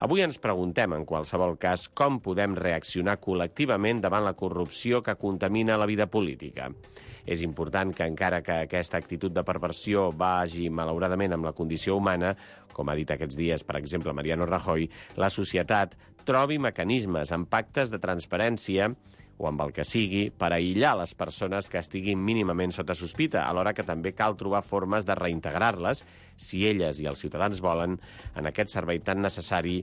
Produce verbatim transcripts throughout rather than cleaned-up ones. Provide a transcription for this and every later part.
Avui ens preguntem, en qualsevol cas, com podem reaccionar col·lectivament davant la corrupció que contamina la vida política. És important que, encara que aquesta actitud de perversió vagi malauradament amb la condició humana, com ha dit aquests dies, per exemple, Mariano Rajoy, la societat trobi mecanismes amb pactes de transparència o amb el que sigui, per aïllar les persones que estiguin mínimament sota sospita, alhora que també cal trobar formes de reintegrar-les, si elles i els ciutadans volen, en aquest servei tan necessari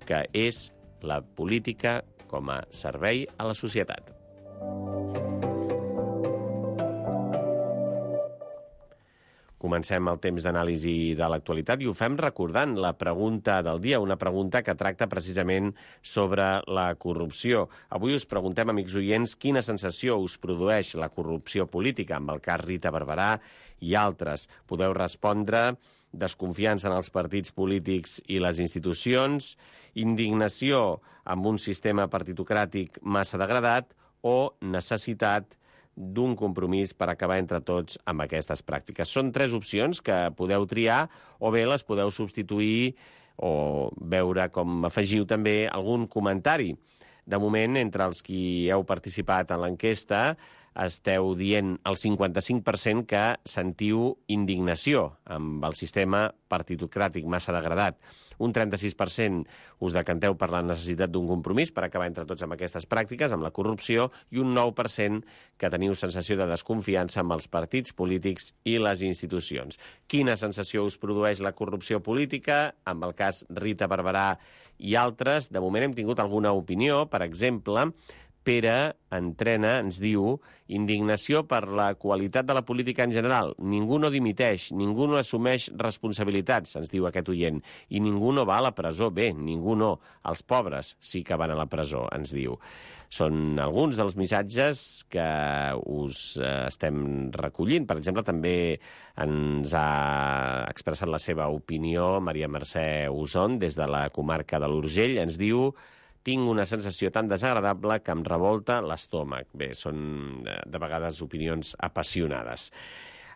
que és la política com a servei a la societat. Comencem el temps d'anàlisi de l'actualitat i ho fem recordant la pregunta del dia, una pregunta que tracta precisament sobre la corrupció. Avui us preguntem, amics oients, quina sensació us produeix la corrupció política, amb el cas Rita Barberà i altres. Podeu respondre desconfiança en els partits polítics i les institucions, indignació amb un sistema partitocràtic massa degradat o necessitat d'un compromís per acabar entre tots amb aquestes pràctiques. Són tres opcions que podeu triar o bé les podeu substituir o veure com afegiu també algun comentari. De moment, entre els qui heu participat en l'enquesta, esteu dient el cinquanta-cinc per cent que sentiu indignació amb el sistema partitocràtic massa degradat. Un trenta-sis per cent us decanteu per la necessitat d'un compromís per acabar entre tots amb aquestes pràctiques, amb la corrupció, i un nou per cent que teniu sensació de desconfiança amb els partits polítics i les institucions. Quina sensació us produeix la corrupció política? Amb el cas Rita Barberà i altres, de moment hem tingut alguna opinió. Per exemple, Pere Entrena ens diu indignació per la qualitat de la política en general. Ningú no dimiteix, ningú no assumeix responsabilitats, ens diu aquest oient, i ningú no va a la presó. Bé, ningú no. Els pobres sí que van a la presó, ens diu. Són alguns dels missatges que us estem recollint. Per exemple, també ens ha expressat la seva opinió Maria Mercè Uson des de la comarca de l'Urgell. Ens diu: tinc una sensació tan desagradable que em revolta l'estómac. Bé, són de vegades opinions apassionades.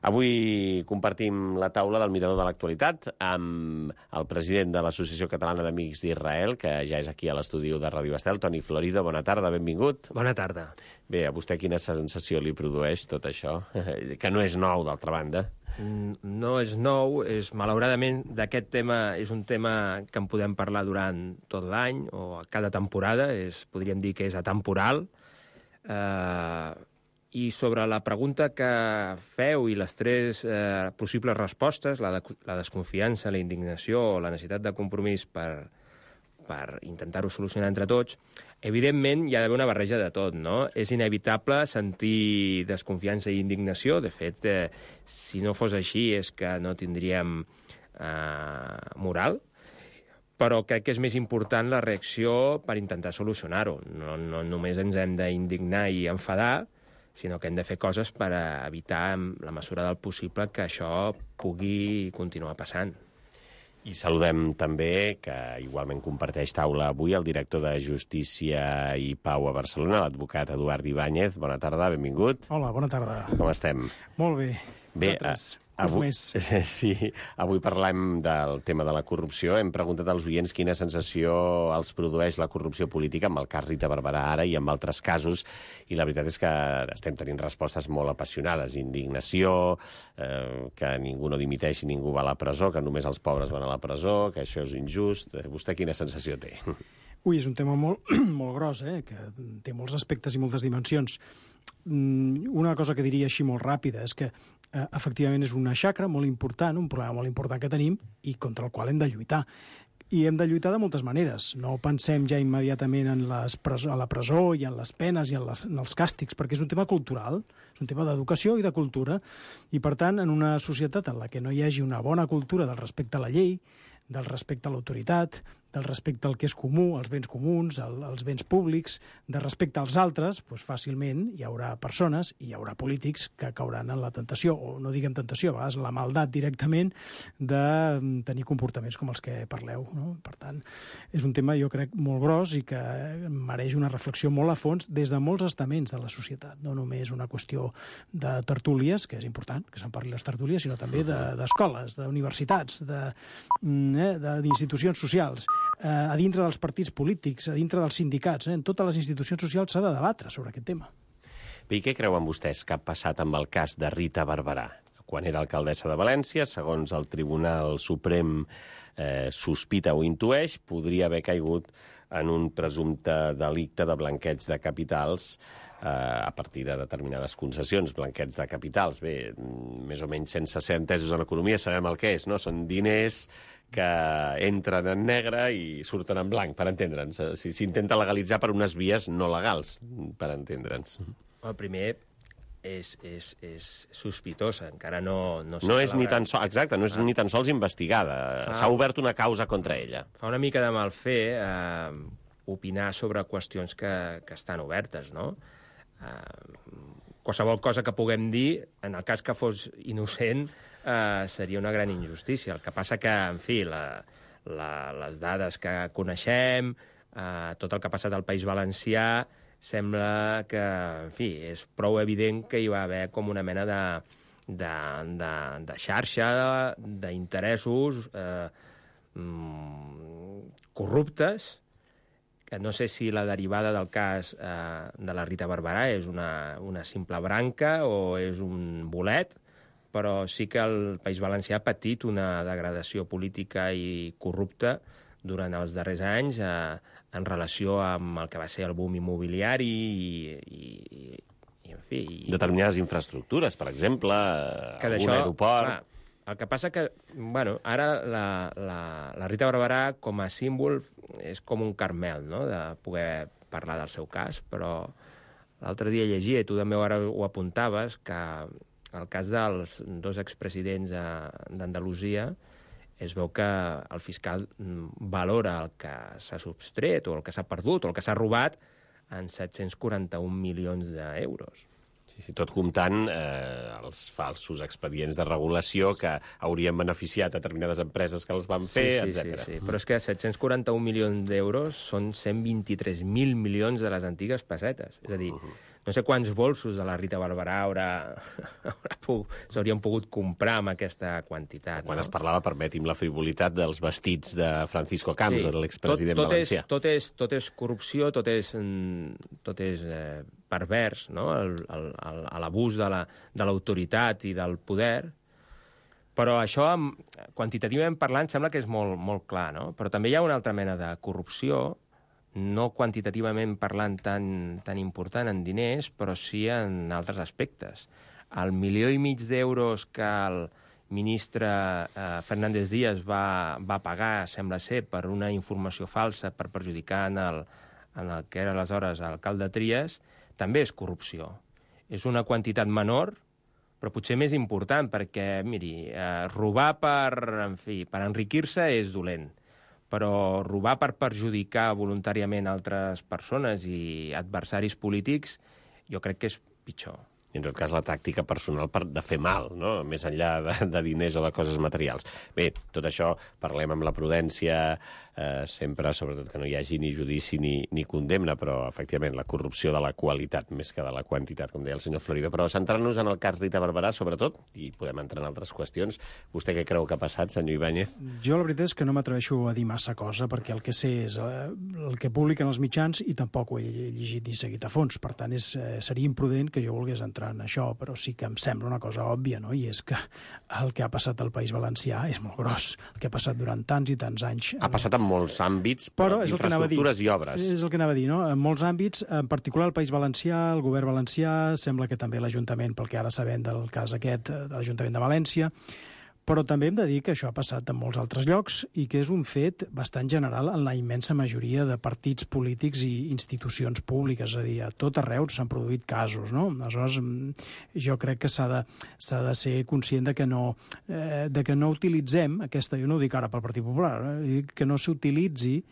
Avui compartim la taula del Mirador de l'Actualitat amb el president de l'Associació Catalana d'Amics d'Israel, que ja és aquí a l'estudi de Ràdio Estel, Toni Florido. Bona tarda, benvingut. Bona tarda. Bé, a vostè quina sensació li produeix tot això? Que no és nou, d'altra banda. No és nou, és, malauradament d'aquest tema és un tema que en podem parlar durant tot l'any o cada temporada, és, podríem dir que és atemporal. Eh, I sobre la pregunta que feu i les tres eh, possibles respostes, la, de, la desconfiança, la indignació o la necessitat de compromís per, per intentar-ho solucionar entre tots, evidentment hi ha d'haver una barreja de tot, no? És inevitable sentir desconfiança i indignació. De fet, eh, si no fos així és que no tindríem eh, moral, però crec que és més important la reacció per intentar solucionar-ho. No, no només ens hem d'indignar i enfadar, sinó que hem de fer coses per evitar, en la mesura del possible, que això pugui continuar passant. I saludem també, que igualment comparteix taula avui, el director de Justícia i Pau a Barcelona, l'advocat Eduard Ibáñez. Bona tarda, benvingut. Hola, bona tarda. Com estem? Molt bé. Bé, avui, sí, avui parlem del tema de la corrupció. Hem preguntat als oients quina sensació els produeix la corrupció política, amb el cas Rita Barberà ara i amb altres casos, i la veritat és que estem tenint respostes molt apassionades. Indignació, eh, que ningú no dimiteix i ningú va a la presó, que només els pobres van a la presó, que això és injust. Vostè quina sensació té? Ui, és un tema molt, molt gros, eh? Que té molts aspectes i moltes dimensions. Una cosa que diria així molt ràpida és que eh, efectivament és una xacra molt important, un problema molt important que tenim i contra el qual hem de lluitar. I hem de lluitar de moltes maneres. No pensem ja immediatament en, les presó, en la presó i en les penes i en, les, en els càstigs, perquè és un tema cultural, és un tema d'educació i de cultura. I, per tant, en una societat en la que no hi hagi una bona cultura del respecte a la llei, del respecte a l'autoritat, del respecte al que és comú, als béns comuns, al, als béns públics, de respecte als altres, doncs fàcilment hi haurà persones i hi haurà polítics que cauran en la tentació, o no diguem tentació, a vegades la maldat directament, de tenir comportaments com els que parleu, no? Per tant, és un tema, jo crec, molt gros i que mereix una reflexió molt a fons des de molts estaments de la societat, no només una qüestió de tertúlies, que és important que se'n parli les tertúlies, sinó també d'escoles, de, d'universitats, de, eh, d'institucions socials. eh, a dintre dels partits polítics, a dintre dels sindicats, eh, en totes les institucions socials s'ha de debatre sobre aquest tema. Bé, i què creuen vostès que ha passat amb el cas de Rita Barberà? Quan era alcaldessa de València, segons el Tribunal Suprem eh, sospita o intueix, podria haver caigut en un presumpte delicte de blanqueig de capitals eh, a partir de determinades concessions, blanqueig de capitals. Bé, més o menys sense ser entesos en economia sabem el que és, no? Són diners que entren en negre i surten en blanc, per entendre'ns. S'intenta legalitzar per unes vies no legals, per entendre'ns. El primer és, és, és sospitosa, encara no... No, no és ni tan sols, exacte, no és ah. ni tan sols investigada. Ah. S'ha obert una causa contra ella. Fa una mica de mal fer eh, opinar sobre qüestions que, que estan obertes, no? Eh, qualsevol cosa que puguem dir, en el cas que fos innocent, eh, seria una gran injustícia. El que passa que, en fi, la, la, les dades que coneixem, eh, tot el que ha passat al País Valencià, sembla que, en fi, és prou evident que hi va haver com una mena de, de, de, de xarxa d'interessos eh, corruptes, que no sé si la derivada del cas eh, de la Rita Barberà és una, una simple branca o és un bolet, però sí que el País Valencià ha patit una degradació política i corrupta durant els darrers anys eh, en relació amb el que va ser el boom immobiliari i, i, i en fi... I... Determinades infraestructures, per exemple, algun aeroport... Clar, el que passa que, bueno, ara la, la, la Rita Barberà com a símbol és com un carmel, no?, de poder parlar del seu cas, però l'altre dia llegia, i tu també ara ho apuntaves, que el cas dels dos expresidents d'Andalusia es veu que el fiscal valora el que s'ha substret o el que s'ha perdut o el que s'ha robat en set-cents quaranta-un milions d'euros. Sí, sí, tot comptant eh, els falsos expedients de regulació que haurien beneficiat determinades empreses que els van fer, sí, sí, etcètera. Sí, sí, però és que set-cents quaranta-un milions d'euros són cent vint-i-tres mil milions de les antigues pessetes. És a dir, uh -huh. no sé quants bolsos de la Rita Barberà haurà, haurà s'haurien pogut comprar amb aquesta quantitat. Quan no? es parlava, permeti'm la frivolitat, dels vestits de Francisco Camps, sí, l'expresident tot, tot valencià. És, tot, és, tot és corrupció, tot és, tot és eh, pervers, no?, l'abús de l'autoritat la, i del poder. Però això, quantitativament parlant, sembla que és molt, molt clar, no? Però també hi ha una altra mena de corrupció, no quantitativament parlant tan, tan important en diners, però sí en altres aspectes. El milió i mig d'euros que el ministre eh, Fernández Díaz va, va pagar, sembla ser, per una informació falsa per perjudicar en el, en el que era aleshores alcalde Trias, també és corrupció. És una quantitat menor, però potser més important, perquè, miri, eh, robar per, en fi, per enriquir-se és dolent, però robar per perjudicar voluntàriament altres persones i adversaris polítics jo crec que és pitjor. I en tot cas la tàctica personal per, de fer mal, no?, més enllà de, de diners o de coses materials. Bé, tot això parlem amb la prudència, eh, sempre, sobretot que no hi hagi ni judici ni, ni condemna, però efectivament la corrupció de la qualitat més que de la quantitat, com deia el senyor Florido. Però centrant-nos en el cas Rita Barberà, sobretot, i podem entrar en altres qüestions, vostè què creu que ha passat, senyor Ibáñez? Jo la veritat és que no m'atreveixo a dir massa cosa, perquè el que sé és eh, el que publiquen els mitjans i tampoc ho he llegit ni seguit a fons. Per tant, és, eh, seria imprudent que jo volgués entrar en això, però sí que em sembla una cosa òbvia, no?, i és que el que ha passat al País Valencià és molt gros, el que ha passat durant tants i tants anys. Ha passat en molts àmbits, però infraestructures i obres. És el que anava a dir, no?, en molts àmbits, en particular el País Valencià, el govern valencià, sembla que també l'Ajuntament, pel que ara sabem del cas aquest, de l'Ajuntament de València, però també hem de dir que això ha passat en molts altres llocs i que és un fet bastant general en la immensa majoria de partits polítics i institucions públiques, és a dir, a tot arreu s'han produït casos, no? Aleshores, jo crec que s'ha de, s'ha de ser conscient de que no, eh, de que no utilitzem aquesta, jo no ho dic ara pel Partit Popular, eh, que no s'utilitzi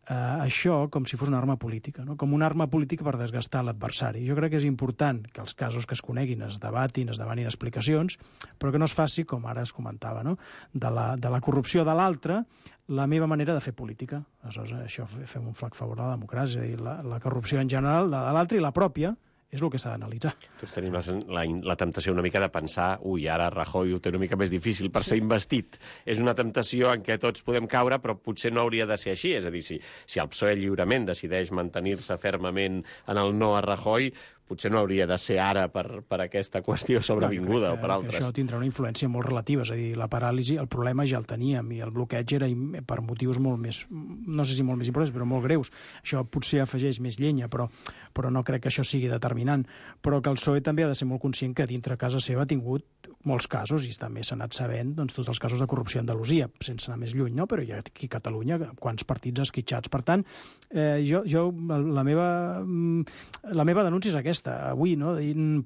eh, això com si fos una arma política, no?, com una arma política per desgastar l'adversari. Jo crec que és important que els casos que es coneguin es debatin, es demanin explicacions, però que no es faci, com ara es comentava, no?, de la, de la corrupció de l'altre, la meva manera de fer política. Aleshores, això fem un flac favor a la democràcia, i la, la corrupció en general, la de l'altre i la pròpia, és el que s'ha d'analitzar. Tots tenim la, la, la temptació una mica de pensar ui, ara Rajoy ho té una mica més difícil per ser investit. És una temptació en què tots podem caure, però potser no hauria de ser així. És a dir, si, si el P S O E lliurement decideix mantenir-se fermament en el no a Rajoy, potser no hauria de ser ara per, per aquesta qüestió sobrevinguda que, o per altres. Això tindrà una influència molt relativa, és a dir, la paràlisi, el problema ja el teníem i el bloqueig era per motius molt més, no sé si molt més importants, però molt greus. Això potser afegeix més llenya, però, però no crec que això sigui determinant. Però que el P S O E també ha de ser molt conscient que dintre casa seva ha tingut molts casos, i també s'ha anat sabent doncs, tots els casos de corrupció a Andalusia, sense anar més lluny, no? Però hi ha aquí a Catalunya quants partits esquitxats. Per tant, eh, jo, jo la, meva, la meva denúncia és aquesta, avui, no?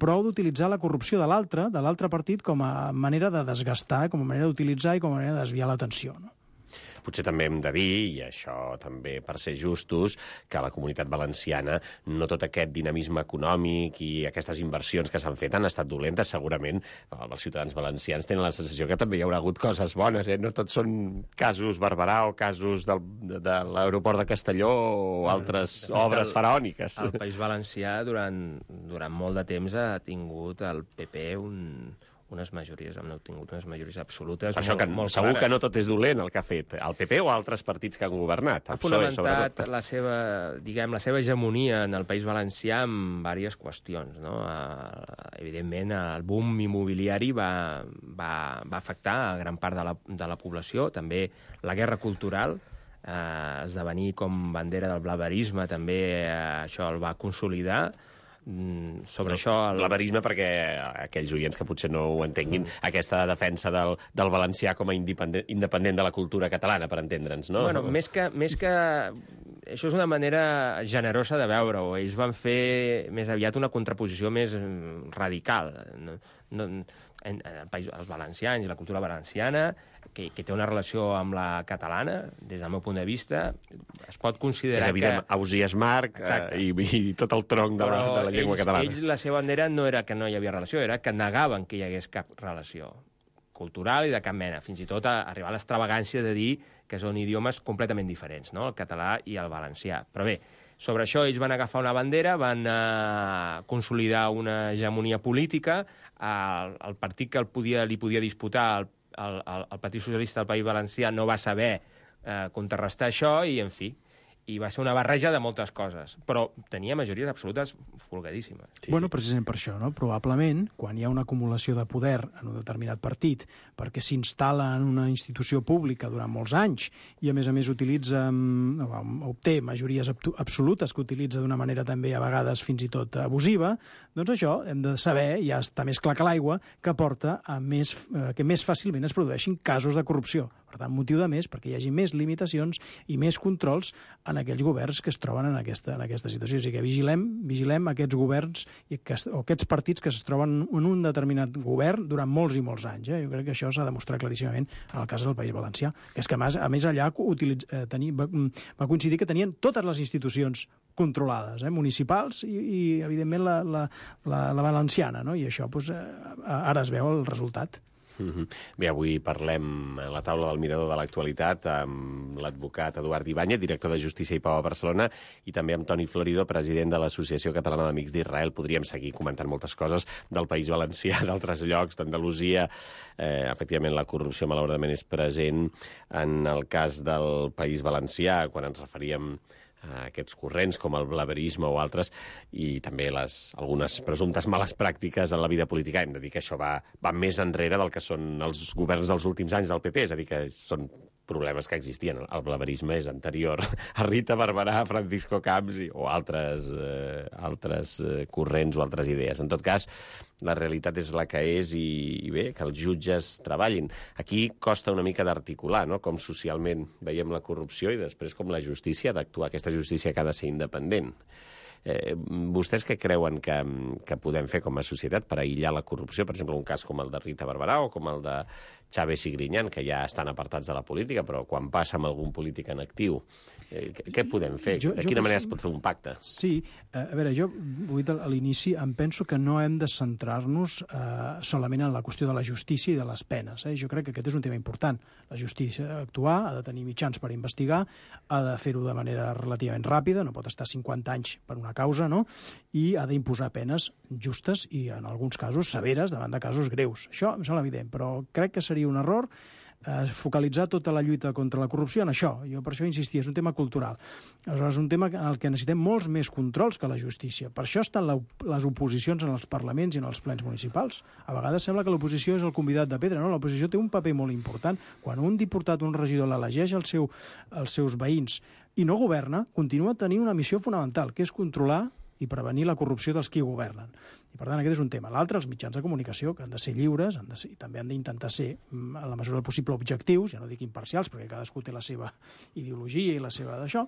Prou d'utilitzar la corrupció de l'altre, de l'altre partit, com a manera de desgastar, com a manera d'utilitzar i com a manera de desviar l'atenció, no? Potser també hem de dir, i això també per ser justos, que a la Comunitat Valenciana no tot aquest dinamisme econòmic i aquestes inversions que s'han fet han estat dolentes. Segurament els ciutadans valencians tenen la sensació que també hi haurà hagut coses bones. Eh? No tots són casos Barberà o casos del, de, de l'aeroport de Castelló o altres de fet, obres el, faraòniques. El País Valencià durant, durant molt de temps ha tingut el P P un... unes majories, hem obtingut unes majories absolutes. Això molt, que molt segur clares. que no tot és dolent el que ha fet el P P o altres partits que han governat. Ha fonamentat la seva, diguem, la seva hegemonia en el País Valencià en diverses qüestions. No? Evidentment, el boom immobiliari va, va, va afectar a gran part de la, de la població, també la guerra cultural, eh, esdevenir com bandera del blaverisme, també eh, això el va consolidar. Sobre no, això... El... Blaverisme, perquè aquells oients que potser no ho entenguin, mm. aquesta defensa del, del valencià com a independent, independent de la cultura catalana, per entendre'ns, no? Bueno, més que, més que... Això és una manera generosa de veure-ho. Ells van fer més aviat una contraposició més radical. No, no, en, en el país, els valencians i la cultura valenciana, que, que té una relació amb la catalana, des del meu punt de vista, es pot considerar que... És evident, que... Ausiàs Marc eh, i, i tot el tronc de la, de la llengua ells, catalana. Ells, la seva bandera no era que no hi havia relació, era que negaven que hi hagués cap relació cultural i de cap mena, fins i tot a arribar a l'extravagància de dir que són idiomes completament diferents, no? El català i el valencià. Però bé, sobre això ells van agafar una bandera, van eh, consolidar una hegemonia política, el, el partit que el podia, li podia disputar, el, el, el, el Partit Socialista del País Valencià, no va saber eh, contrarrestar això i, en fi, i va ser una barreja de moltes coses, però tenia majories absolutes folgadíssimes. Sí, bueno, sí. Precisament per això, no? Probablement, quan hi ha una acumulació de poder en un determinat partit, perquè s'instal·la en una institució pública durant molts anys i, a més a més, utilitza, obté majories absolutes que utilitza d'una manera també, a vegades, fins i tot abusiva, doncs això hem de saber, ja està més clar que l'aigua, que porta a més, eh, que més fàcilment es produeixin casos de corrupció. Per tant, motiu de més perquè hi hagi més limitacions i més controls en aquells governs que es troben en aquesta, en aquesta situació. O sigui que vigilem, vigilem aquests governs i aquest, o aquests partits que es troben en un determinat govern durant molts i molts anys. Eh? Jo crec que això s'ha demostrat claríssimament en el cas del País Valencià, que és que a més, a més allà utilitz, eh, tenir, va, va coincidir que tenien totes les institucions controlades, eh? municipals i, i evidentment, la, la, la, la valenciana, no? I això doncs, eh, ara es veu el resultat. Mm-hmm. Bé, avui parlem a la taula del Mirador de l'Actualitat amb l'advocat Eduard Ibáñez, director de Justícia i Pau a Barcelona, i també amb Toni Florido, president de l'Associació Catalana d'Amics d'Israel. Podríem seguir comentant moltes coses del País Valencià, d'altres llocs, d'Andalusia. Eh, efectivament, la corrupció, malauradament, és present en el cas del País Valencià, quan ens referíem a aquests corrents com el blaverisme o altres, i també les, algunes presumptes males pràctiques en la vida política. Hem de dir que això va, va més enrere del que són els governs dels últims anys del P P, és a dir, que són problemes que existien. El blaverisme és anterior a Rita Barberà, a Francisco Camps i, o altres, eh, altres eh, corrents o altres idees. En tot cas, la realitat és la que és i, i bé, que els jutges treballin. Aquí costa una mica d'articular, no?, com socialment veiem la corrupció i després com la justícia ha d'actuar, aquesta justícia que ha de ser independent. Eh, vostès què creuen que, que podem fer com a societat per aïllar la corrupció? Per exemple, un cas com el de Rita Barberà o com el de Chávez i Griñán, que ja estan apartats de la política, però quan passa amb algun polític en actiu Eh, què podem fer? Jo, de jo quina penso... manera es pot fer un pacte? Sí, a veure, jo ho he dit a l'inici, em penso que no hem de centrar-nos eh, solament en la qüestió de la justícia i de les penes. Eh? Jo crec que aquest és un tema important. La justícia ha d'actuar, ha de tenir mitjans per investigar, ha de fer-ho de manera relativament ràpida, no pot estar cinquanta anys per una causa, no? I ha d'imposar penes justes i, en alguns casos, severes davant de casos greus. Això em sembla evident, però crec que seria un error eh, focalitzar tota la lluita contra la corrupció en això. Jo per això insistia, és un tema cultural. Aleshores, és un tema en el que necessitem molts més controls que la justícia. Per això estan la, les oposicions en els parlaments i en els plens municipals. A vegades sembla que l'oposició és el convidat de pedra, no? L'oposició té un paper molt important. Quan un diputat, un regidor, l'elegeix el seu, els seus veïns i no governa, continua tenint una missió fonamental, que és controlar i prevenir la corrupció dels qui governen. I, per tant, aquest és un tema. L'altre, els mitjans de comunicació, que han de ser lliures, han de ser, i també han d'intentar ser, en la mesura del possible, objectius, ja no dic imparcials, perquè cadascú té la seva ideologia i la seva d'això,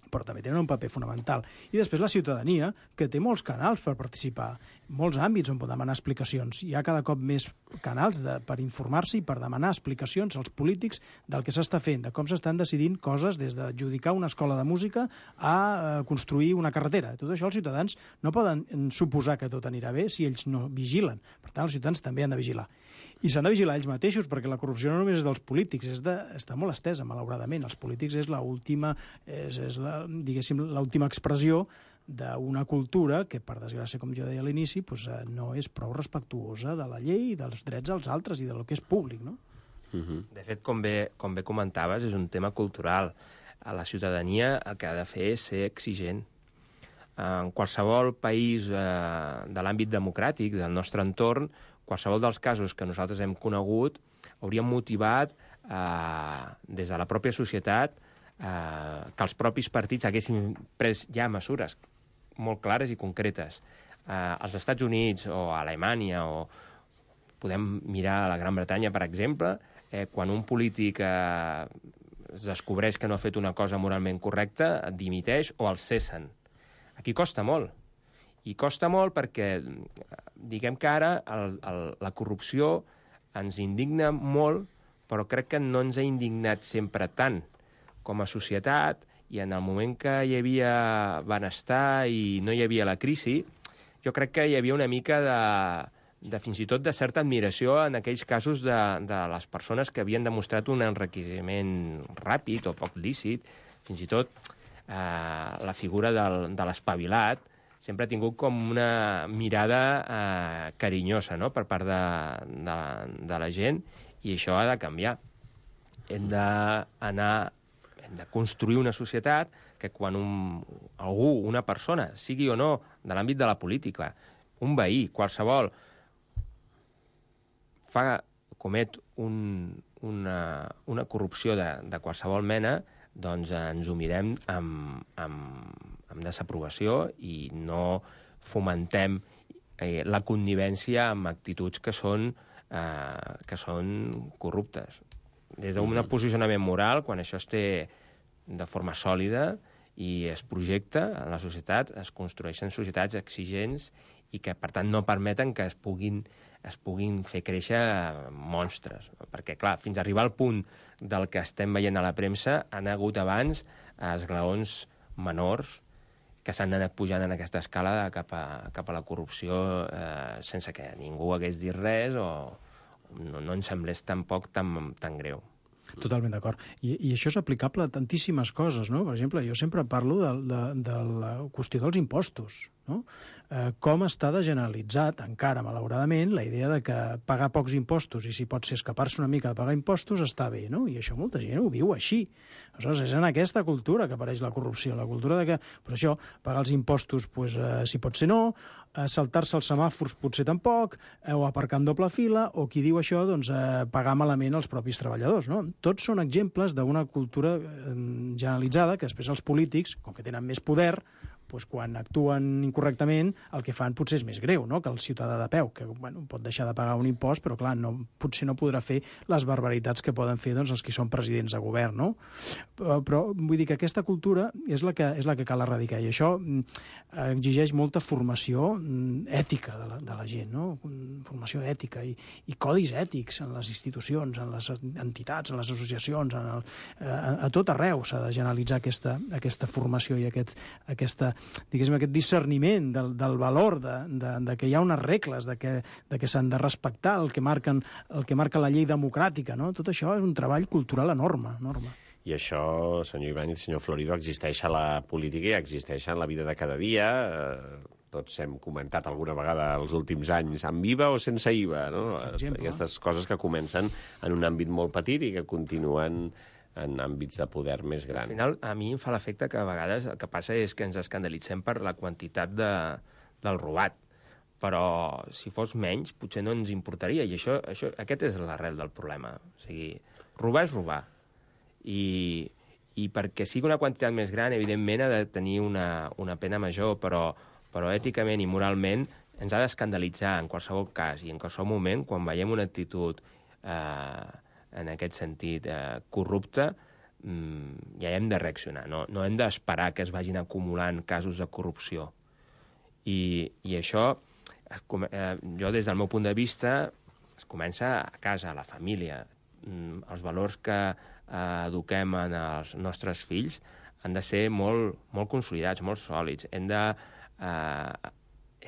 però també tenen un paper fonamental. I després la ciutadania, que té molts canals per participar, molts àmbits on pot demanar explicacions. Hi ha cada cop més canals de, per informar-se i per demanar explicacions als polítics del que s'està fent, de com s'estan decidint coses des d'adjudicar una escola de música a eh, construir una carretera. Tot això els ciutadans no poden suposar que tot anirà bé si ells no vigilen. Per tant, els ciutadans també han de vigilar. I s'han de vigilar ells mateixos, perquè la corrupció no només és dels polítics, és de, està molt estesa, malauradament. Els polítics és l'última, és, és la, diguéssim, l'última expressió d'una cultura que, per desgràcia, com jo deia a l'inici, pues, no és prou respectuosa de la llei, dels drets als altres i del que és públic, no? Uh-huh. De fet, com bé, com bé comentaves, és un tema cultural. A la ciutadania el que ha de fer és ser exigent. En qualsevol país eh, de l'àmbit democràtic, del nostre entorn, qualsevol dels casos que nosaltres hem conegut hauríem motivat eh, des de la pròpia societat eh, que els propis partits haguessin pres ja mesures molt clares i concretes. Eh, als Estats Units o a Alemanya, o podem mirar a la Gran Bretanya, per exemple, eh, quan un polític eh, es descobreix que no ha fet una cosa moralment correcta, dimiteix o el cessen. Aquí costa molt. I costa molt perquè, diguem que ara, el, el, la corrupció ens indigna molt, però crec que no ens ha indignat sempre tant com a societat, i en el moment que hi havia benestar i no hi havia la crisi, jo crec que hi havia una mica de, de fins i tot de certa admiració en aquells casos de, de les persones que havien demostrat un enriquiment ràpid o poc lícit, fins i tot eh, la figura del, de l'espavilat, sempre ha tingut com una mirada eh, carinyosa, no?, per part de, de, de la gent, i això ha de canviar. Hem d'anar, hem de construir una societat que quan un, algú, una persona, sigui o no de l'àmbit de la política, un veí, qualsevol, fa, comet un, una, una corrupció de, de qualsevol mena, doncs ens ho mirem amb, amb, amb desaprovació i no fomentem eh, la connivència amb actituds que són, eh, que són corruptes. Des d'un mm-hmm. posicionament moral, quan això es té de forma sòlida i es projecta en la societat, es construeixen societats exigents i que, per tant, no permeten que es puguin es puguin fer créixer monstres. Perquè, clar, fins a arribar al punt del que estem veient a la premsa, han hagut abans esglaons menors que s'han anat pujant en aquesta escala cap a, cap a la corrupció eh, sense que ningú hagués dit res o no, no ens semblés tampoc tan, tan greu. Totalment d'acord. I, I això és aplicable a tantíssimes coses, no? Per exemple, jo sempre parlo de, de, de la qüestió dels impostos, no? Eh, com està degeneralitzat, encara, malauradament, la idea de que pagar pocs impostos i si pot ser escapar-se una mica de pagar impostos està bé, no? I això molta gent ho viu així. Aleshores, és en aquesta cultura que apareix la corrupció, la cultura de que, per això, pagar els impostos, pues, eh, si pot ser no, eh, saltar-se els semàfors potser tampoc, eh, o aparcar en doble fila, o qui diu això, doncs, eh, pagar malament els propis treballadors, no? Tots són exemples d'una cultura eh, generalitzada que després els polítics, com que tenen més poder, doncs, quan actuen incorrectament el que fan potser és més greu, no?, que el ciutadà de peu, que bueno, pot deixar de pagar un impost, però clar, no, potser no podrà fer les barbaritats que poden fer doncs, els que són presidents de govern, no? Però, però vull dir que aquesta cultura és la que, és la que cal erradicar, i això exigeix molta formació ètica de la, de la gent, no? Formació ètica i, i codis ètics en les institucions, en les entitats, en les associacions, en el, a, a tot arreu s'ha de generalitzar aquesta, aquesta formació i aquest, aquesta, diguéssim, aquest discerniment del, del valor de, de, de que hi ha unes regles, de que, de que s'han de respectar el que, marquen, el que marca la llei democràtica, no? Tot això és un treball cultural enorme, enorme. I això, senyor Ibáñez, senyor Florido, existeix a la política i existeix en la vida de cada dia. Tots hem comentat alguna vegada els últims anys amb I V A o sense I V A, no? Aquestes coses que comencen en un àmbit molt petit i que continuen en àmbits de poder més grans. Al final, a mi em fa l'efecte que a vegades el que passa és que ens escandalitzem per la quantitat de, del robat, però si fos menys potser no ens importaria, i això, això aquest és l'arrel del problema. O sigui, robar és robar, i, i perquè sigui una quantitat més gran, evidentment ha de tenir una, una pena major, però, però èticament i moralment ens ha d'escandalitzar en qualsevol cas i en qualsevol moment quan veiem una actitud eh, en aquest sentit eh, corrupta, mm, ja hem de reaccionar, no, no hem d'esperar que es vagin acumulant casos de corrupció. I, i això, eh, jo des del meu punt de vista, es comença a casa, a la família. Mm, els valors que eh, eduquem en els nostres fills han de ser molt, molt consolidats, molt sòlids. Hem de, eh,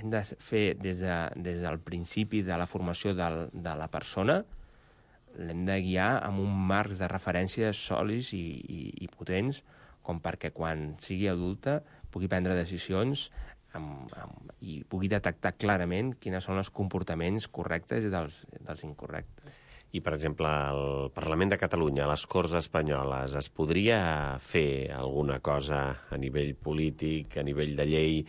hem de fer des, de, des del principi de la formació del, de la persona, l'hem de guiar amb un marc de referència sòlids i, i, i potents, com perquè quan sigui adulta pugui prendre decisions amb, amb, i pugui detectar clarament quins són els comportaments correctes i dels, dels incorrectes. I, per exemple, al Parlament de Catalunya, a les Corts Espanyoles, es podria fer alguna cosa a nivell polític, a nivell de llei,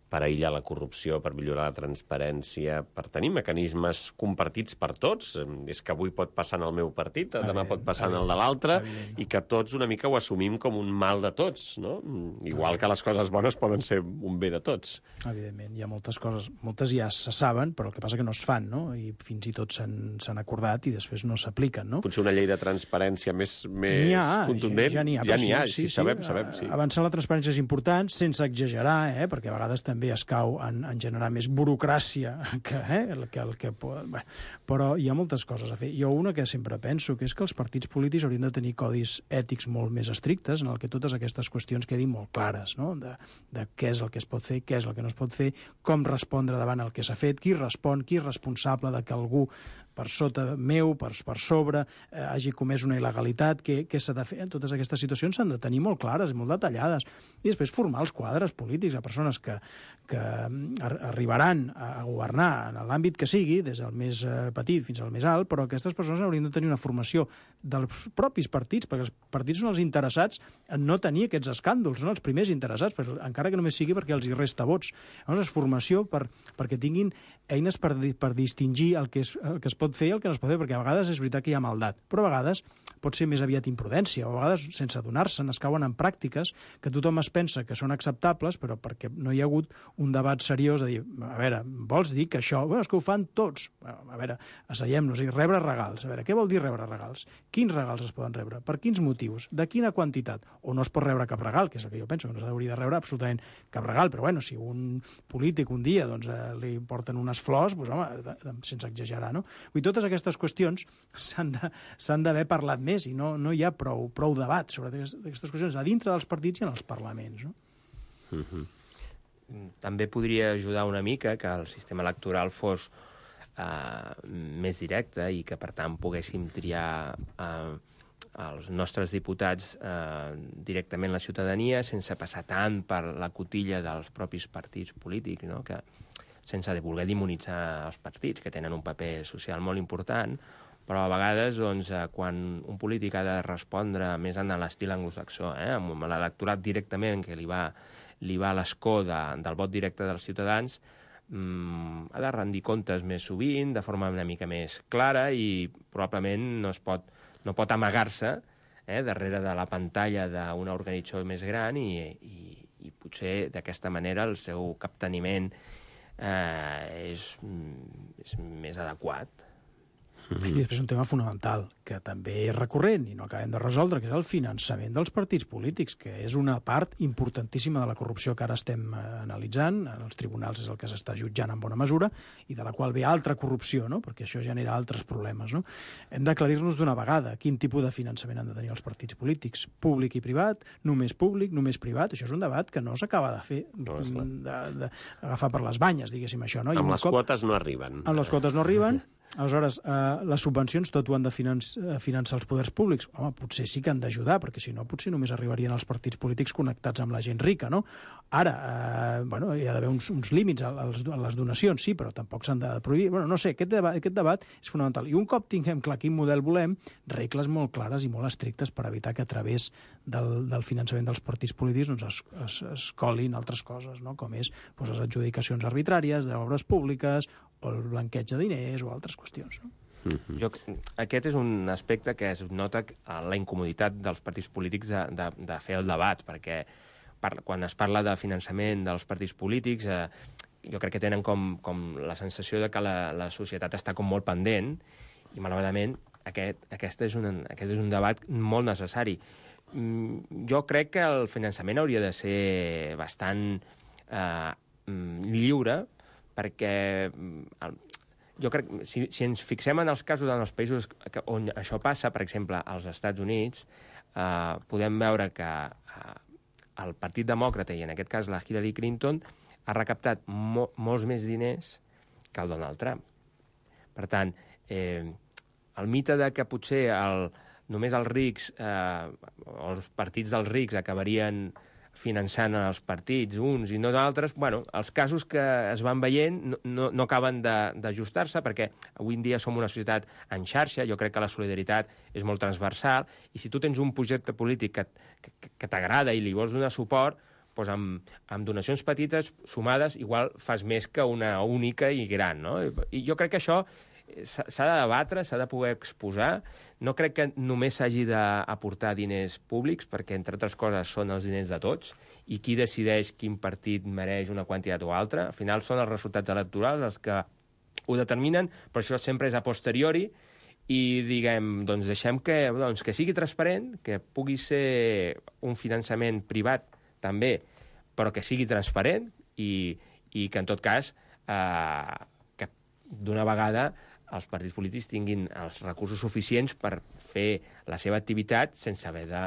per aïllar la corrupció, per millorar la transparència, per tenir mecanismes compartits per tots? És que avui pot passar en el meu partit, demà evident, pot passar evident, en el de l'altre, i que tots una mica ho assumim com un mal de tots, no? Igual que les coses bones poden ser un bé de tots. Evidentment, hi ha moltes coses, moltes ja se saben, però el que passa que no es fan, no? I fins i tot s'han acordat i després no s'apliquen, no? Potser una llei de transparència més, més ha, contundent? Ja n'hi ha, ja n'hi ha, sí, sí, sí, sabem, sí. sabem, sí. Avançar la transparència és important, sense exagerar, eh? Perquè a vegades també també es cau en, en generar més burocràcia que, eh, el que, el que pot... Bé, però hi ha moltes coses a fer. Jo una que sempre penso, que és que els partits polítics haurien de tenir codis ètics molt més estrictes en el que totes aquestes qüestions quedin molt clares, no? De, de què és el que es pot fer, què és el que no es pot fer, com respondre davant el que s'ha fet, qui respon, qui és responsable de que algú per sota meu, per, per sobre, eh, hagi comès una il·legalitat, què, què s'ha de fer. Totes aquestes situacions s'han de tenir molt clares i molt detallades. I després formar els quadres polítics a persones que, que arribaran a governar en l'àmbit que sigui, des del més petit fins al més alt, però aquestes persones haurien de tenir una formació dels propis partits, perquè els partits són els interessats en no tenir aquests escàndols, són els primers interessats, encara que només sigui perquè els hi resta vots. Llavors, formació per, perquè tinguin eines per, per distingir el que, és, el que es pot fer i el que no es pot fer, perquè a vegades és veritat que hi ha maldat, però a vegades pot ser més aviat imprudència, o a vegades, sense adonar-se'n, es cauen en pràctiques que tothom es pensa que són acceptables, però perquè no hi ha hagut un debat seriós de dir, a veure, vols dir que això... Bueno, és que ho fan tots. A veure, asseiem-nos i rebre regals. A veure, què vol dir rebre regals? Quins regals es poden rebre? Per quins motius? De quina quantitat? O no es pot rebre cap regal, que és el que jo penso, que no s'hauria de rebre absolutament cap regal, però bueno, si un polític un dia doncs, eh, li porten unes flors, doncs, home, de, de, sense exagerar, no? Vull dir, totes aquestes qüestions s'han d'haver parlat més i no, no hi ha prou, prou debat sobre aquestes qüestions a dintre dels partits i en els parlaments, no? Mm-hmm. També podria ajudar una mica que el sistema electoral fos eh, més directe i que, per tant, poguéssim triar eh, els nostres diputats eh, directament la ciutadania sense passar tant per la cotilla dels propis partits polítics, no? Que, sense de voler demonitzar els partits, que tenen un paper social molt important, però a vegades, doncs, quan un polític ha de respondre més en l'estil anglosaxó, eh, amb l'electorat directament que li va, li va a l'escó de, del vot directe dels ciutadans, mmm, ha de rendir comptes més sovint, de forma una mica més clara, i probablement no, es pot, no pot amagar-se eh, darrere de la pantalla d'una organització més gran i, i, i, potser d'aquesta manera el seu capteniment eh, és, és més adequat. I després un tema fonamental, que també és recurrent i no acabem de resoldre, que és el finançament dels partits polítics, que és una part importantíssima de la corrupció que ara estem eh, analitzant. En els tribunals és el que s'està jutjant en bona mesura i de la qual ve altra corrupció, no? Perquè això genera altres problemes. No? Hem d'aclarir-nos d'una vegada quin tipus de finançament han de tenir els partits polítics, públic i privat, només públic, només privat. Això és un debat que no s'acaba de fer, no, d'agafar per les banyes, diguéssim això. No? I amb les cop, quotes no arriben. Amb les quotes no arriben. Aleshores, eh, les subvencions tot ho han de finanç, finançar els poders públics. Home, potser sí que han d'ajudar, perquè si no potser només arribarien els partits polítics connectats amb la gent rica, no? Ara, eh, bueno, hi ha d'haver uns, uns límits a, a les donacions, sí, però tampoc s'han de prohibir. Bueno, no sé, aquest debat, aquest debat és fonamental. I un cop tinguem clar quin model volem, regles molt clares i molt estrictes per evitar que a través del, del finançament dels partits polítics doncs, es, es, es colin altres coses, no? Com és doncs, les adjudicacions arbitràries d'obres públiques o el blanqueig de diners o altres qüestions. No? Mm-hmm. Jo, aquest és un aspecte que es nota la incomoditat dels partits polítics de, de, de fer el debat, perquè par, quan es parla de finançament dels partits polítics, eh, jo crec que tenen com, com la sensació de que la, la societat està com molt pendent, i malauradament aquest, aquest, és un, aquest és un debat molt necessari. Mm, jo crec que el finançament hauria de ser bastant eh, lliure, perquè el, jo crec que si, si ens fixem en els casos en els països que, on això passa, per exemple, als Estats Units, eh, podem veure que eh, el Partit Demòcrata, i en aquest cas la Hillary Clinton, ha recaptat mo molts més diners que el Donald Trump. Per tant, eh, el mite de que potser el, només els rics, eh, o els partits dels rics acabarien finançant els partits, uns i no d'altres, bueno, els casos que es van veient no, no, no acaben d'ajustar-se, perquè avui en dia som una societat en xarxa, jo crec que la solidaritat és molt transversal, i si tu tens un projecte polític que, que, que t'agrada i li vols donar suport, doncs amb, amb donacions petites sumades igual fas més que una única i gran, no? I jo crec que això s'ha de debatre, s'ha de poder exposar. No crec que només s'hagi d'aportar diners públics, perquè, entre altres coses, són els diners de tots, i qui decideix quin partit mereix una quantitat o altra. Al final són els resultats electorals els que ho determinen, però això sempre és a posteriori, i diguem, doncs deixem que, doncs, que sigui transparent, que pugui ser un finançament privat també, però que sigui transparent i, i que, en tot cas, eh, que d'una vegada els partits polítics tinguin els recursos suficients per fer la seva activitat sense haver de,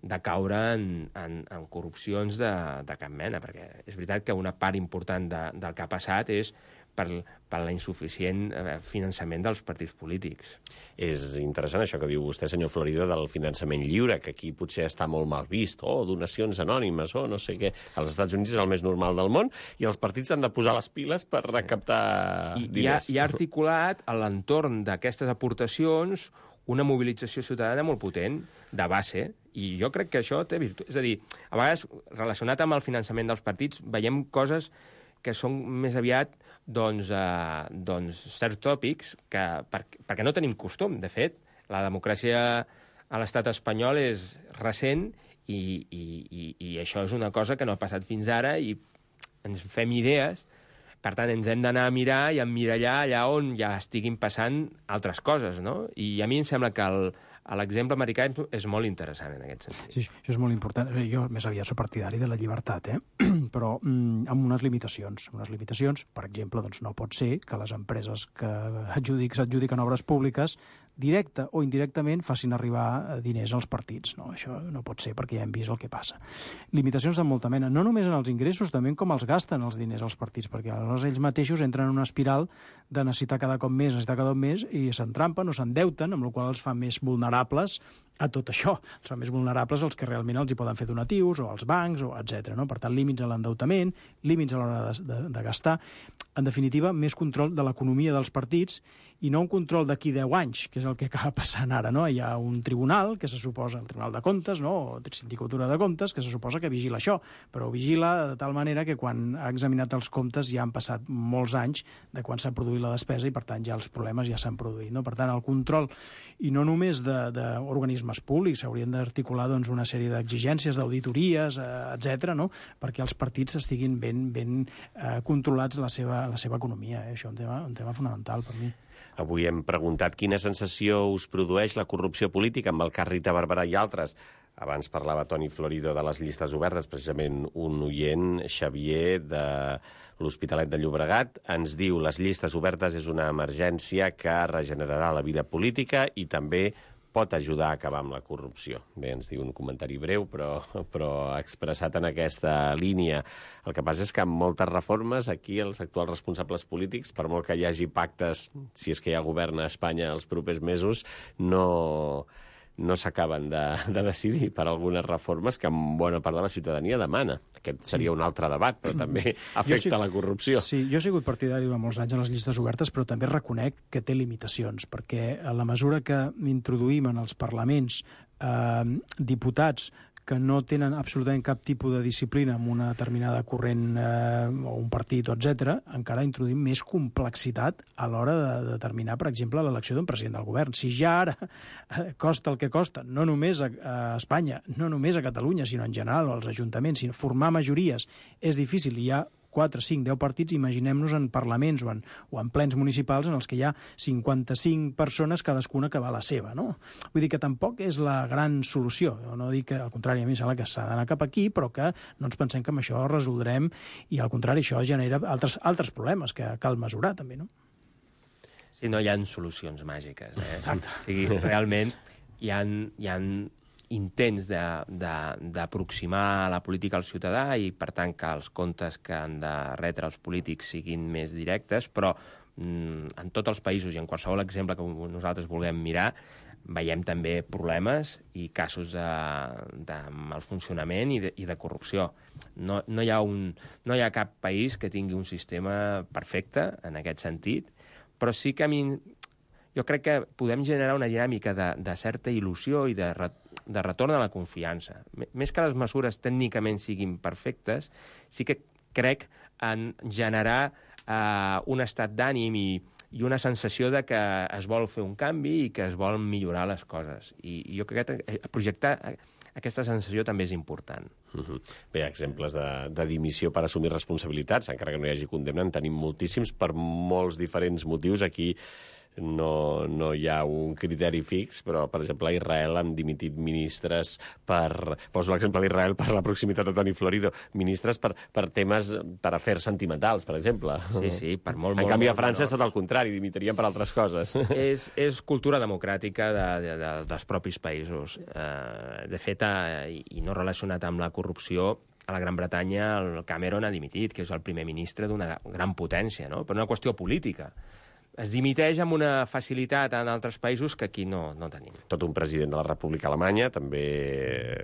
de caure en, en, en corrupcions de, de cap mena, perquè és veritat que una part important de, del que ha passat és per, per l'insuficient finançament dels partits polítics. És interessant això que diu vostè, senyor Florido, del finançament lliure, que aquí potser està molt mal vist, o oh, donacions anònimes, o oh, no sé què. Als Estats Units és el més normal del món, i els partits han de posar les piles per recaptar I, diners. I ha, ha articulat a l'entorn d'aquestes aportacions una mobilització ciutadana molt potent, de base, i jo crec que això té virtut. És a dir, a vegades, relacionat amb el finançament dels partits, veiem coses que són més aviat doncs, eh, doncs certs tòpics que, per, perquè no tenim costum. De fet, la democràcia a l'estat espanyol és recent i, i, i, i això és una cosa que no ha passat fins ara i ens fem idees. Per tant, ens hem d'anar a mirar i emmirallar allà on ja estiguin passant altres coses, no? I a mi em sembla que el, l'exemple americà és molt interessant en aquest sentit. Sí, això és molt important. Jo més aviat soc partidari de la llibertat, eh? Però mm, amb unes limitacions. Unes limitacions, per exemple, doncs no pot ser que les empreses que s'adjudiquen obres públiques directe o indirectament facin arribar diners als partits. No, això no pot ser, perquè ja hem vist el que passa. Limitacions de molta mena, no només en els ingressos, també com els gasten els diners als partits, perquè aleshores ells mateixos entren en una espiral de necessitar cada cop més, necessitar cada cop més, i s'entrampen o s'endeuten, amb la qual cosa els fa més vulnerables a tot això. Els fa més vulnerables els que realment els hi poden fer donatius, o als bancs, o etcètera. No? Per tant, límits a l'endeutament, límits a l'hora de, de, de gastar. En definitiva, més control de l'economia dels partits i no un control d'aquí deu anys, que és el que acaba passant ara. No? Hi ha un tribunal, que se suposa, el Tribunal de Comptes, no? O Sindicatura de Comptes, que se suposa que vigila això, però vigila de tal manera que quan ha examinat els comptes ja han passat molts anys de quan s'ha produït la despesa i, per tant, ja els problemes ja s'han produït. No? Per tant, el control, i no només d'organismes organismes públics, s'haurien d'articular doncs, una sèrie d'exigències, d'auditories, eh, etcètera, no? Perquè els partits estiguin ben, ben eh, controlats la seva, la seva economia. Eh? Això és un tema, un tema fonamental per mi. Avui hem preguntat quina sensació us produeix la corrupció política amb el cas Rita Barberà i altres. Abans parlava Toni Florido de les llistes obertes, precisament un oient, Xavier, de l'Hospitalet de Llobregat, ens diu les llistes obertes és una emergència que regenerarà la vida política i també pot ajudar a acabar amb la corrupció. Bé, ens diu un comentari breu, però, però expressat en aquesta línia. El que passa és que amb moltes reformes, aquí els actuals responsables polítics, per molt que hi hagi pactes, si és que hi ha govern a Espanya els propers mesos, no... no s'acaben de, de decidir per algunes reformes que bona part de la ciutadania demana. Aquest seria sí. un altre debat, però també afecta sí, la corrupció. Sí, jo he sigut partidari durant molts anys en les llistes obertes, però també reconec que té limitacions, perquè a la mesura que introduïm en els parlaments eh, diputats que no tenen absolutament cap tipus de disciplina amb una determinada corrent eh, o un partit, etcètera, encara introduïm més complexitat a l'hora de determinar, per exemple, l'elecció d'un president del govern. Si ja ara eh, costa el que costa, no només a, a Espanya, no només a Catalunya, sinó en general, o als ajuntaments, sinó formar majories és difícil, i hi ha quatre, cinc, deu partits, imaginem-nos en parlaments o en, o en plens municipals en els que hi ha cinquanta-cinc persones, cadascuna que va a la seva, no? Vull dir que tampoc és la gran solució. Jo no dic que, al contrari, a mi em sembla que s'ha d'anar cap aquí, però que no ens pensem que amb això resoldrem, i al contrari, això genera altres, altres problemes que cal mesurar, també, no? Sí, no hi ha solucions màgiques. Eh? Exacte. O sigui, realment hi ha, hi ha intents d'aproximar la política al ciutadà i, per tant, que els comptes que han de retre els polítics siguin més directes, però mm, en tots els països i en qualsevol exemple que nosaltres vulguem mirar, veiem també problemes i casos de, de malfuncionament i de, i de corrupció. No, no, hi ha un, no hi ha cap país que tingui un sistema perfecte en aquest sentit, però sí que a mi jo crec que podem generar una dinàmica de, de certa il·lusió i de, de retorn a la confiança. Més que les mesures tècnicament siguin perfectes, sí que crec en generar eh, un estat d'ànim i, i una sensació de que es vol fer un canvi i que es volen millorar les coses. I, i jo crec que projectar aquesta sensació també és important. Uh-huh. Bé, exemples de, de dimissió per assumir responsabilitats, encara que no hi hagi condemna, en tenim moltíssims per molts diferents motius. Aquí no, no hi ha un criteri fix, però, per exemple, a Israel han dimitit ministres per... Poso l'exemple d'Israel per la proximitat de Toni Florido. Ministres per, per temes, per afers sentimentals, per exemple. Sí, sí, per molt, en molt... canvi, molt, a França no. és tot el contrari, dimitirien per altres coses. És, és cultura democràtica de, de, de, dels propis països. Uh, de fet, uh, i no relacionat amb la corrupció, a la Gran Bretanya el Cameron ha dimitit, que és el primer ministre d'una gran potència, no? Per una qüestió política. Es dimiteix amb una facilitat en altres països que aquí no, no tenim. Tot un president de la República Alemanya també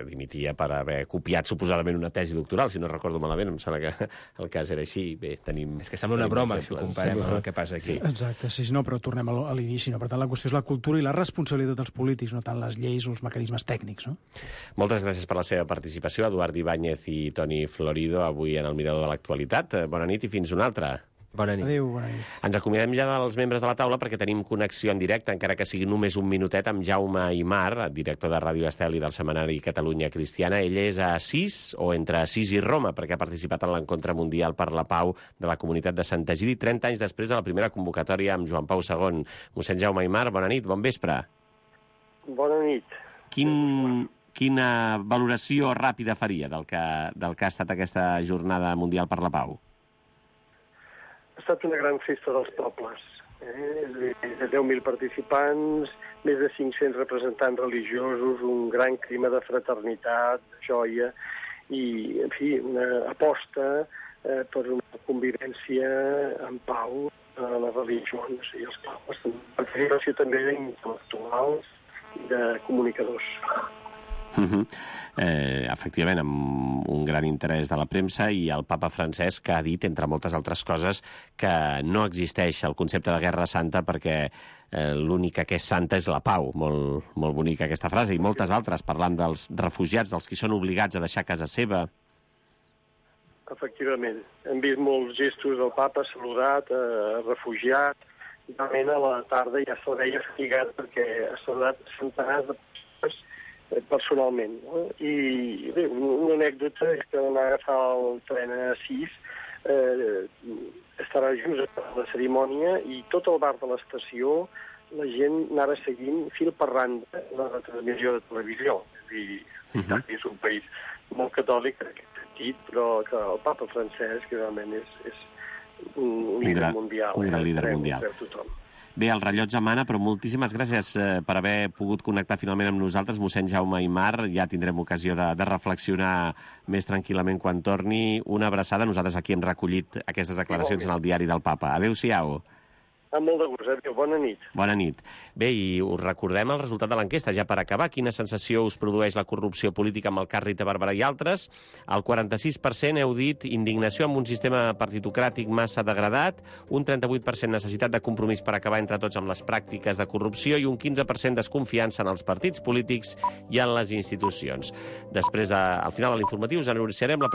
dimitia per haver copiat suposadament una tesi doctoral, si no recordo malament, em sembla que el cas era així. Bé, tenim... És que sembla una broma, si ho comparem amb el que passa aquí. Sí. Exacte, sí, no, però tornem a l'inici. No? Per tant, la qüestió és la cultura i la responsabilitat dels polítics, no tant les lleis o els mecanismes tècnics. No? Moltes gràcies per la seva participació, Eduard Ibáñez i Toni Florido, avui en el Mirador de l'Actualitat. Bona nit i fins una altra. Bona nit. Adéu, bona nit. Ens acomiadem ja dels membres de la taula perquè tenim connexió en directe, encara que sigui només un minutet, amb Jaume Aymar, director de Ràdio Estel i del setmanari Catalunya Cristiana. Ell és a Assís, o entre Assís i Roma, perquè ha participat en l'encontre mundial per la pau de la comunitat de Sant Egidi, trenta anys després de la primera convocatòria amb Joan Pau segon. Mossèn Jaume Aymar, bona nit, bon vespre. Bona nit. Quin... Quina valoració ràpida faria del que, del que ha estat aquesta jornada mundial per la pau? Ha estat una gran festa dels pobles. Eh? De deu mil participants, més de cinc-cents representants religiosos, un gran clima de fraternitat, de joia, i, en fi, una aposta eh, per una convivència en pau a les religions i els pobles. Participació també d'intel·lectuals i de comunicadors. Uh-huh. eh, efectivament, amb un gran interès de la premsa, i el papa Francesc ha dit, entre moltes altres coses, que no existeix el concepte de guerra santa perquè eh, l'única que és santa és la pau. Molt, molt bonica aquesta frase, i moltes altres, parlant dels refugiats, dels que són obligats a deixar casa seva. Efectivament. Hem vist molts gestos del papa, saludat, eh, refugiat, i realment a la tarda ja se'l veia fatigat perquè ha saludat centenars de persones personalment. No? I bé, una anècdota és que vam agafar el tren a sis, eh, estarà just a la cerimònia i tot el bar de l'estació la gent anava seguint fil per randa la retransmissió de televisió. És a dir, uh-huh. és un país molt catòlic en aquest sentit, però que el papa Francesc realment és, és un, un líder mundial. Un gran eh? líder Creu, mundial. Creu tothom. Bé, el rellotge mana, però moltíssimes gràcies eh, per haver pogut connectar finalment amb nosaltres, mossèn Jaume Aymar. Ja tindrem ocasió de, de reflexionar més tranquil·lament quan torni. Una abraçada. Nosaltres aquí hem recollit aquestes declaracions en el diari del Papa. Adéu-siau. Amb molt de gust, adéu. Bona nit. Bona nit. Bé, i us recordem el resultat de l'enquesta, ja per acabar. Quina sensació us produeix la corrupció política amb el cas Rita Barberà i altres? El quaranta-sis per cent heu dit indignació amb un sistema partitocràtic massa degradat, un trenta-vuit per cent necessitat de compromís per acabar entre tots amb les pràctiques de corrupció i un quinze per cent desconfiança en els partits polítics i en les institucions. Després, de, al final de l'informatiu, us anunciarem la pregunta